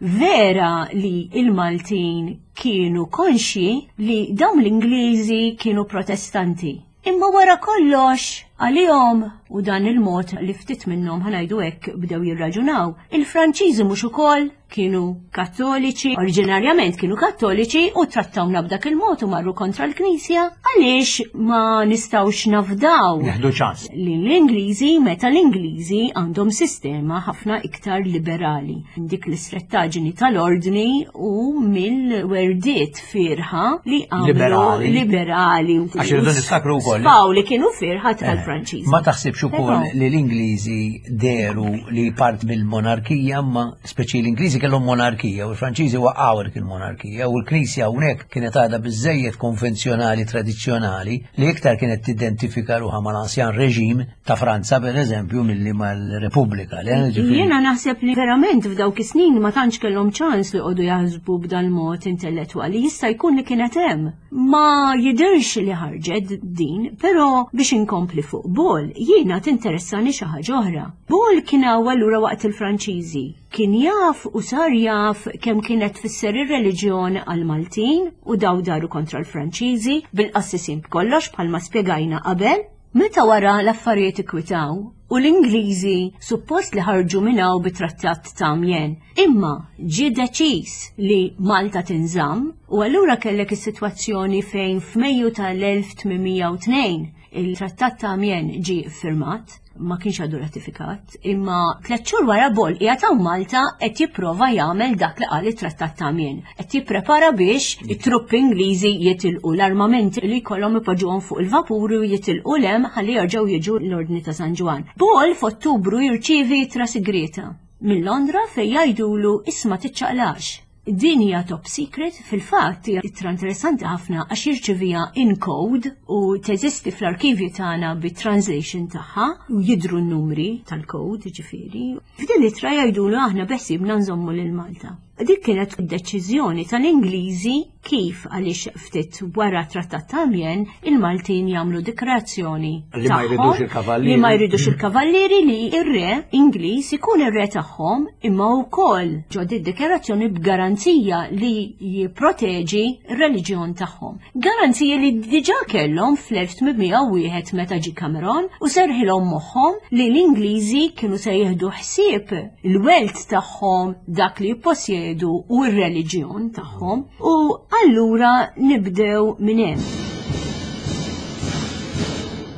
vera li il-Maltin kienu konxji li dawn l-Ingliżi kienu protestanti. Imma wara kollox, għalihom u dan il-mod li ftit minnhom ħa ngħidu hekk bdew jirraġunaw, il-Franċiżi mhux ukoll kienu kattoliċi, oriġinarjament kienu kattoliċi u trattawna b'dak il-mod u marru kontra l-Knisja, għaliex ma nistgħux nafdaw Nieħdu ċans. li l-Ingliżi meta l-Ingliżi għandhom sistema ħafna iktar liberali. Dik l-istrettaġni tal-ordni u mill-werdiet firħa li għamlu Liberali. liberali. Għax irridu niftakru wkoll. Spaw li kienu firħa tal-Franċiżi. Ma taħsibx ukoll Però- li l-Ingliżi deru li part mill-monarkija, ma speċi l-Ingliżi kellhom monarkija u l-Franċiżi waqgħu dik il-monarkija u l-Knisja hawnhekk kienet għadha biżejjed konvenzjonali tradizzjonali li iktar kienet tidentifika ruħha mal-ansjan reġim ta' Franza per eżempju milli mal-Repubblika. Le, ġifieri- Jiena naħseb li verament f'dawk is-snin ma tantx kellhom ċans li qogħdu jaħsbu b'dal mod intellettwali. Jista' jkun li kienet hemm. Ma jidirx li ħarġet din, però biex inkompli fuq Ball, jiena tinteressani xi ħaġa oħra. Ball kien hawn allura waqt il-Franċiżi. Kien jaf u sar jaf kemm kienet tfisser ir-reliġjon għal-Maltin u daw daru kontra l-Franċiżi bil-qassisin b'kollox bħalma spjegajna qabel. Meta wara l-affarijiet ikwitaw u l-Ingliżi suppost li ħarġu minn hawn bit-trattat ta' Amiens, imma ġie deċiż li Malta tinżamm u allura kellek is-sitwazzjoni fejn f'Mejju tal-elf tmien mija u tnejn il-trattat ta' Amiens ġie firmat, ma kienx għadu ratifikat, imma tliet xhur wara Ball qiegħed hawn Malta qed jipprova jagħmel dak li qal it-trattat ta' Amiens. Qed jipprepara biex it-truppi Ingliżi jitilqu l-armamenti li jkollhom ipoġġuhom fuq il-vapuri u jitilqu 'l hemm ħalli jerġgħu jiġu l-Ordni ta' San Ġwann. Ball f'Ottubru jirċievi ittra sigreta minn Londra fejn jgħidulu isma' tiċċaqlax. Din hija top secret, fil-fatt hija ittra interessanti ħafna għax jirċivija in code u teżisti fl-arkivju tagħna bit-translation tagħha u jidru n-numri tal-code ġifieri. F'din l-ittra jgħidulu aħna beħsiebna nżommu lil Malta. Dik kienet id-deċiżjoni tal-Ingliżi kif għaliex ftit wara trattat ta' Amiens il-Maltin jagħmlu dikrazzjoni Li ma jridux tagħhom, il-kavallieri. Li ma jridux il-kavallieri li ir-re Ingliż ikun ir-re tagħhom imma wkoll ġo di dikjarazzjoni b'garanzija li jipproteġi r-reliġjon tagħhom. Garanzija li diġà kellhom fl-elf tmien mija u wieħed meta ġie Cameron u serħilhom moħħhom li l-Ingliżi kienu se jieħdu ħsieb il-wealth tagħhom, dak li jipposjedu u r-reliġjon tagħhom u allura nibdew minn hemm.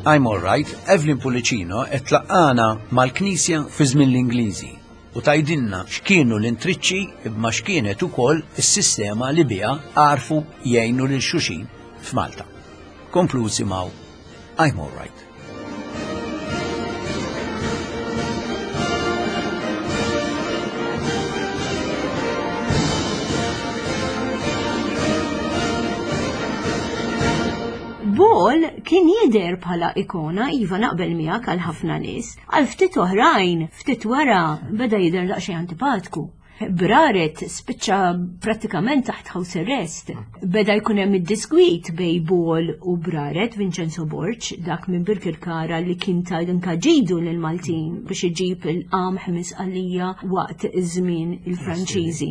I'm all right, Evelyn Pullicino qed tlaqqana mal-Knisja fi żmien l-Ingliżi u tgħidilna x'kienu l-intriċċi imma x'kienet ukoll is-sistema li biha għarfu jgħinu lil xulxin f'Malta. Komplu isimgħu I'm all right. Ball kien jidher bħala ikona, iva naqbel miegħek għal ħafna nies, għal ftit oħrajn, ftit wara beda jidher daqsxejn antipatku. Braret spiċċa prattikament taħt house arrest. Beda jkun hemm id-diskwit bejn Ball u Braret, Vincenzo Borg, dak minn Birkirkara li kien ta' ġidu lil Maltin biex iġib il-qamħ misqalija waqt iż-żmien il-Franċiżi.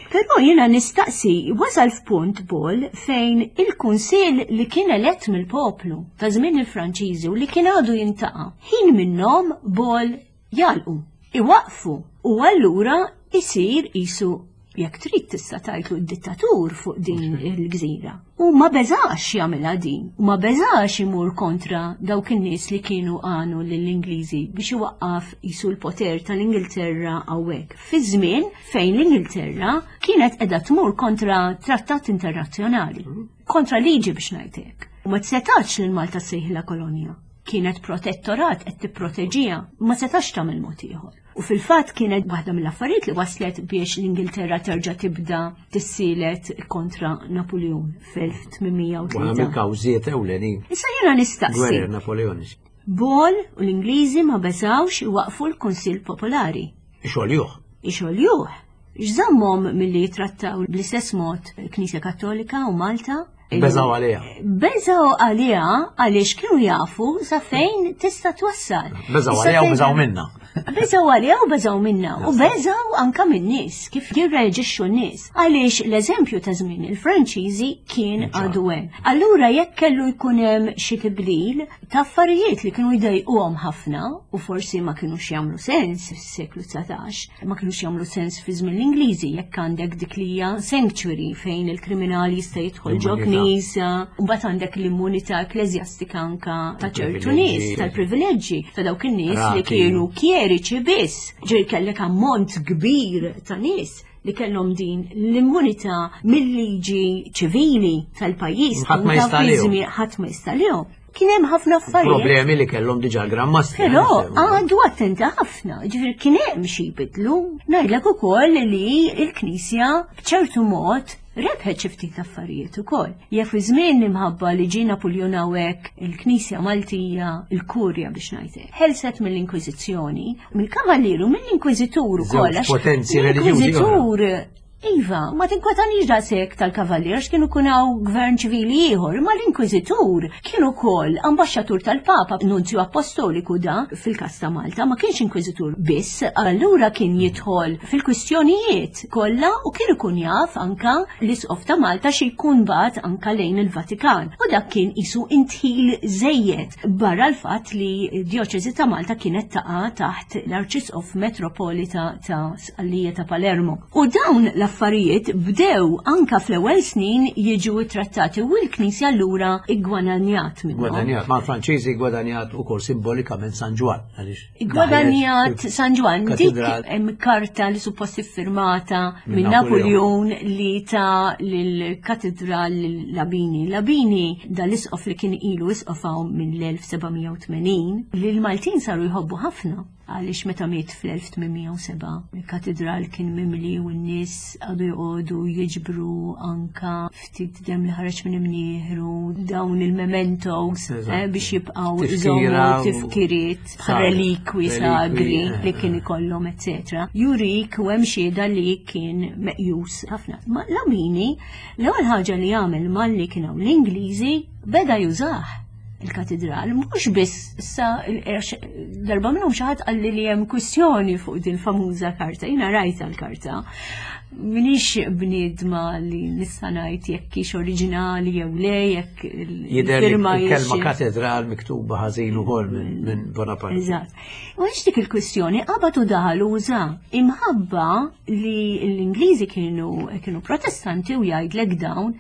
Però jiena nistaqsi, wasal f'punt Ball fejn il-kunsill li kien elett mill-poplu ta' żmien il-Franċiżi u li kien għadu jiltaqa', ħin minnhom Ball jagħlqu, iwaqfu u allura isir isu jekk trid tista' tgħidlu d-dittatur fuq din il-gżira. U ma beżax jagħmilha din, u ma beżax imur kontra dawk in-nies li kienu għanu lill-Ingliżi biex iwaqqaf isu l-poter tal-Ingilterra hawnhekk. Fi żmien fejn l-Ingilterra kienet qiegħda tmur kontra trattat internazzjonali, kontra liġi biex ngħidlek. U ma setax lil Malta ssejħilha kolonja. Kienet protettorat qed tipproteġiha, ma setax tagħmel mod ieħor. U fil-fatt kienet waħda mill-affarijiet li waslet biex l-Ingilterra terġa' tibda tissielet kontra Napoleon fl-elf tmien mija u tlieta. Waħda mill-kawżiet ewlenin. Issa jiena nistaqsi. Gwerer Napoleoniċi. Ball u l-Ingliżi ma beżawx iwaqfu l-Kunsill Popolari. Ixoljuh. Ixoljuh. X'żammhom milli jitrattaw bl-istess mod il-Knisja Kattolika u Malta? Beżaw għaliha. Beżaw għaliha għaliex kienu jafu sa fejn tista' twassal. Beżaw għaliha u beżaw minna. Beżaw għaliha u beżaw minna. U beżaw anka minn nies, kif jirreġixxu n-nies. Għaliex l-eżempju ta' żmien il-Franċiżi kien għadu hemm. Allura jekk kellu jkun hemm xi tibdil ta' affarijiet li kienu jdejquhom ħafna u forsi ma kinux jagħmlu sens fis-seklu dsatax, ma kinux jagħmlu sens fi żmien l-Ingliżi, jekk għandek dik li hija sanctuary fejn il-kriminali jista' jidħol ġo knisja, u mbagħad għandek l-immunità ekkleżjastika anka ta' ċertu nies, tal-privileġġi ta' dawk in-nies li kienu kjeriċi biss. Ġej kellek ammont kbir ta' nies li kellhom din l-immunità mill-liġi ċivili tal-pajjiż. Ħadd ma jista' Ħadd ma jista' Kien hemm ħafna affarijiet. Problemi li kellhom diġà Gran Mastri. Però għadu attenta ħafna, ġifieri kien hemm xi jbidlu. Ngħidlek ukoll li l-Knisja b'ċertu mod rebħet xi ftit affarijiet ukoll. Jekk fi żmien imħabba li ġie Napoleon hawnhekk, il-Knisja Maltija, il-Kurja biex ngħidlek, ħelset mill-Inkwiżizzjoni, mill-Kavalieru, mill-Inkwiżitur ukoll. Potenzi reliġjużi. L-Inkwiżitur. Iva, ma tinkwetanix daqshekk tal-kavallier kienu kunaw gvern ċivili ieħor, ma l-inkwiżitur kien ukoll ambaxxatur tal-Papa, nunzju apostoliku da fil-kas ta' Malta, ma kienx inkwiżitur biss, allura kien jidħol fil-kwistjonijiet kollha u kien ikun jaf anka l-isqof ta' Malta xi jkun bagħat anka lejn il-Vatikan. U dak kien isu indħil żejjed barra l-fatt li djoċesi ta' Malta kienet taqa' taħt l-Arċisqof Metropolita ta' Sqallija ta' Palermo. U dawn l-affarijiet bdew anka fl-ewwel snin jiġu trattati u l-Knisja allura iggwadanjat minnhom. Gwadanjat, ma' Franċiżi gwadanjat ukoll simbolikament San Ġwann. Għaliex Gwadanjat San Ġwann, dik Katedral. hemm karta li suppost iffirmata Minn minn Napoleon li ta lill-katedral Labini. Labini dal-isqof li kien ilu isqof hawn minn l-elf seba' mija u tmenin, li l-Maltin saru jħobbu ħafna, għaliex meta miet fl-elf tmien mija u sebgħa il-katedral kien mimli u n-nies għadu joqogħdu jiġbru anka ftit dem li ħareġ minn imnieħru, dawn il-mementos Eżatt. eh, biex jibqgħu Tifkira iżommu u- tifkiriet bħal Sagri. relikwi sagri Relikwi, li kien ikollhom, eccetera. Jurik u hemm xhieda li kien meqjus ħafna. Ma Labini, l-ewwel ħaġa li għamel malli kien hawn l-Ingliżi, beda jużah il-katedral, mhux biss issa il- darba minnhom xi ħadd qalli li hemm kwistjoni fuq din famuża karta, jiena rajta l-karta. Minix bniedma li nista' ngħid jekk hix oriġinali jew le, jekk Jidher li il-firma il-kelma hix- katedral miktuba ħażin ukoll minn minn Bonaparte. Eżatt. U għax dik il-kwistjoni qabad u daħal uża imħabba li l-Ingliżi kienu kienu protestanti u jgħidlek dawn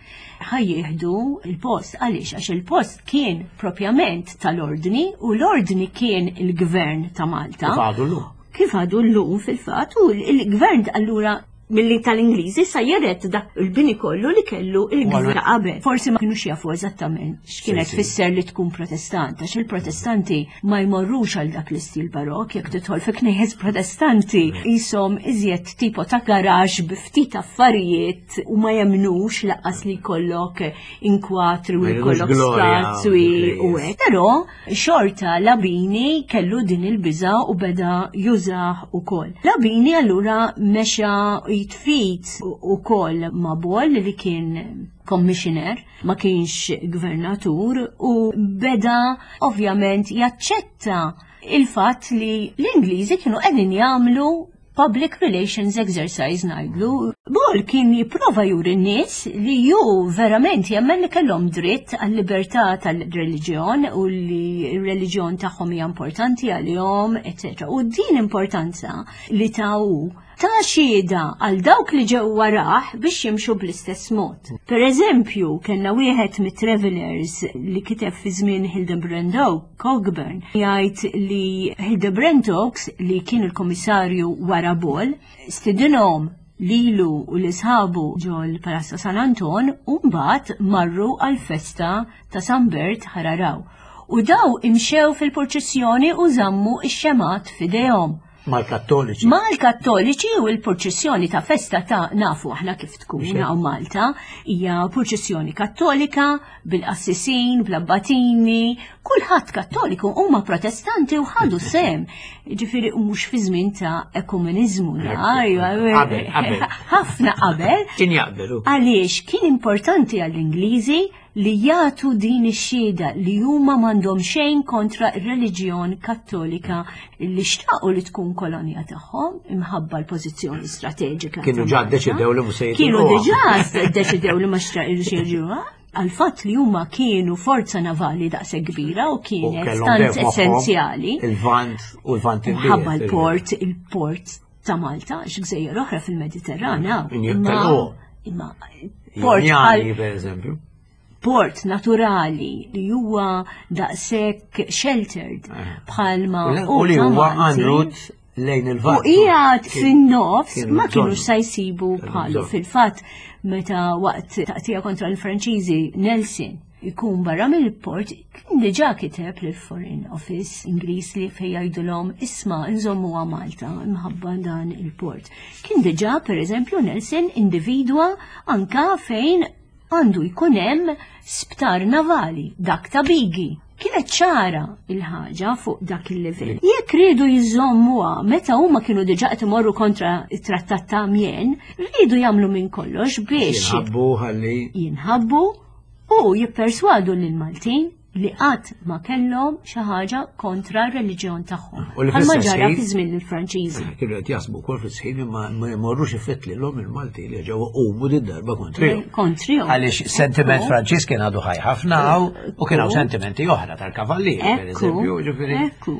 ħa jieħdu il-post. Għaliex? Għax il-post kien propjament tal-ordni u l-ordni kien il-gvern ta' Malta. Kif għadu llum. Kif għadu llum fil-fatt, u il-gvern allura milli tal-Ingliżi sa jeret dak il-bini kollu li kellu il-gvern ta' qabel. Forsi ma kienux jafu eżattament x'kienet Sì, sì. fisser li tkun protestant, għax il-protestanti ma jmorrux għal dak l-istil barok. Jekk tidħol fi knejjes protestanti, jisom iżjed tipo ta' garaġ bi ftit affarijiet u ma jemnux lanqas li jkollok inkwatri u Ma jridux jkollok glorja statwi u fil-knejjes. hekk. Però xorta Labini kellu din il-biża u beda jużah ukoll. Labini allura mexa jitfit ukoll ma' Ball li kien commissioner, ma kienx gvernatur, u beda ovvjament jaċċetta il-fatt li l-Ingliżi kienu qegħdin jagħmlu public relations exercise, ngħidlu. Ball kien jipprova juri n-nies li ju verament jemmen li kellhom dritt għal-libertà tal-reliġjon u li r-reliġjon tagħhom hija importanti għalihom, eċċetera. U din importanza li taw ta' xhieda għal dawk li ġew warah biex jimxu bl-istess mod. Per eżempju, kellna wieħed mit-travelers li kiteb fi żmien Hildebrand Cockburn, jgħid li Hildebrand Oakes, li kien il-komissarju wara Ball, stidinhom lilu u l-isħabu ġol Palazzo San Anton u mbagħad marru għal-festa ta' San Bert Ħal Għargħur. U daw imxew fil-purċissjoni u żammu ix-xemgħat f'idejhom. Mal-Kattoliċi. Mal-Kattoliċi u l-purċissjoni ta' festa ta' nafu aħna kif tkun hawn Malta, hija purċissjoni kattolika bil-qassisin, bl-abbatini, kulħadd kattoliku huma protestanti u ħadu sem. Ġifieri mhux fi żmien ta' ekumeniżmu, ħafna qabel. Kien jaqbelu. Għaliex kien importanti għall-Ingliżi li jagħtu din ix-xhieda li huma m'għandhom xejn kontra r-reliġjon kattolika li xtaqu li tkun kolonja tagħhom imħabba l-pożizzjoni strateġika. Kienu ġa ddeċidew li mhux se Kienu diġà ddeċidew li ma xtaqu għal-fatt li huma kienu forza navali daqshekk kbira u kienet tant essenzjali. Il-Vant u l-Vant il Imħabba l-port, il-port ta' Malta, x'gżejjer oħra fil-Mediterran. Imma port per eżempju. Port naturali li huwa daqshekk sheltered bħalma u li huwa en route lejn il-Vant. U qiegħed fin-nofs ma kienu sa jsibu bħalu. Fil-fatt meta waqt taqtija kontra l-Franċiżi Nelson ikun barra mill-port, kien diġà kiteb lill Foreign Office Ingliż li fejn jgħidulhom isma' nżommuha Malta imħabba dan il-port. Kien diġà pereżempju Nelson individwa anka fejn għandu jkun hemm sptar navali, dak ta' Bigi. Kienet ċara il-ħaġa fuq dak il-livell. Jekk riedu jżommuha meta huma kienu diġà qed imorru kontra it-Trattat ta' Amiens, riedu jagħmlu minn kollox biex jinħabbu ħalli jinħabbu u jipperswadu lill-Maltin li qatt ma kellhom xi ħaġa kontra r-reliġjon tagħhom. Bħalma ġara fi żmien il-Franċiżi. Kienu qed jaħsbu wkoll fis-sħin imma ma jmorrux ifettlilhom il-Malti li ġew qumu din darba kontrihom. Kontrihom. Għaliex sentiment Franċiż kien għadu ħaj ħafna u kien hawn sentimenti oħra tal-kavallieri, pereżempju, ġifieri. Ekku.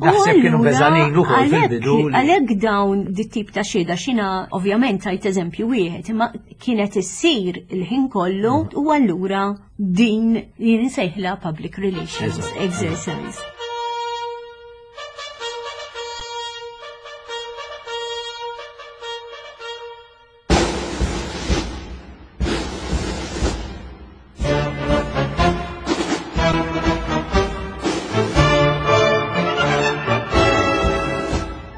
Naħseb kienu beżanin ukoll fil-bidu. Għalhekk dawn dit-tip ta' xhieda xina ovvjament tajt eżempju wieħed, imma kienet issir il-ħin kollu u allura din jien insejħla public relations exercise.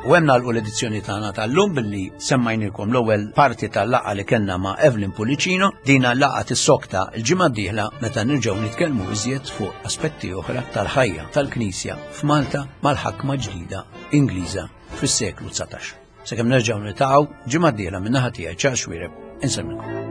U hemm nagħlqu l-edizzjoni tagħna tal-lum billi semmajnilkom l-ewwel parti tal-laqgħa li kellna ma' Evelyn Pullicino. Dina laqgħa tissokta l-ġimgħa d-dieħla meta nirġgħu nitkellmu iżjed fuq aspetti oħra tal-ħajja tal-Knisja f'Malta mal-ħakma ġdida Ingliża fis-seklu dsatax. Sakemm nerġgħu niltaqgħu ġimgħa d-dieħla min-naħa tiegħi Charles Xuereb, insemmilkom.